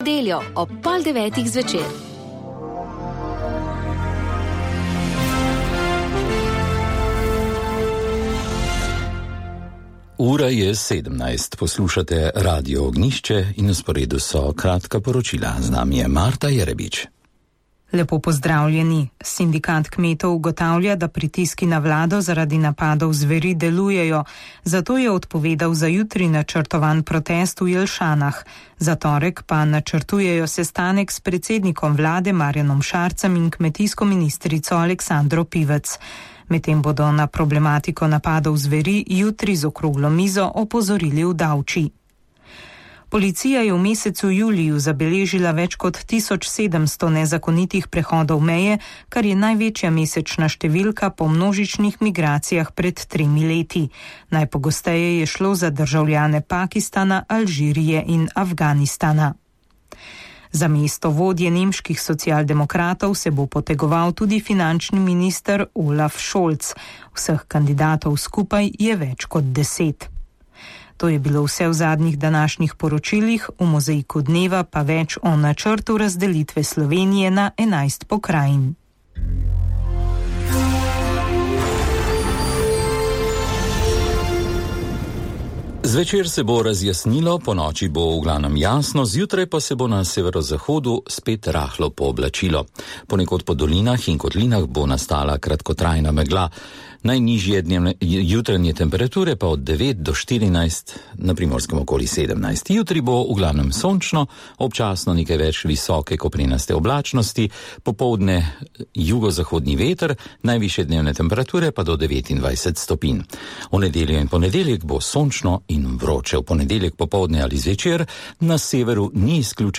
Nedeljo ob 8:30 zvečer. Ura je 17. Poslušate Radio Ognjišče in na sporedu so kratka poročila. Z nami je Marta Jerebič. Lepo pozdravljeni. Sindikat kmetov ugotavlja, da pritiski na vlado zaradi napadov zveri delujejo, zato je odpovedal za jutri načrtovan protest v Jelšanah. Za torek pa načrtujejo sestanek s predsednikom vlade Marjanom Šarcem in kmetijsko ministrico Aleksandro Pivec. Medtem bodo na problematiko napadov zveri jutri z okroglo mizo opozorili v Davči. Policija je v mesecu juliju zabeležila več kot 1700 nezakonitih prehodov meje, kar je največja mesečna številka po množičnih migracijah pred 3 leti. Najpogosteje je šlo za državljane Pakistana, Alžirije in Afganistana. Za mesto vodje nemških socialdemokratov se bo potegoval tudi finančni minister Olaf Scholz. Vseh kandidatov skupaj je več kot 10. To je bilo vse v zadnjih današnjih poročilih, v mozaiku dneva pa več o načrtu razdelitve Slovenije na 11 pokrajin. Zvečer se bo razjasnilo, ponoči bo v glavnem jasno, zjutraj pa se bo na severozahodu spet rahlo pooblačilo. Ponekod po dolinah in kotlinah bo nastala kratkotrajna megla. Najnižje jutranje temperature pa od 9 do 14, na Primorskem okoli 17. Jutri bo v glavnem sončno, občasno nekaj več visoke koprenaste oblačnosti, popoldne jugozahodni veter, najvišje dnevne temperature pa do 29 stopinj. V nedeljo in ponedeljek bo sončno in vroče. V ponedeljek popoldne ali zvečer na severu ni izključena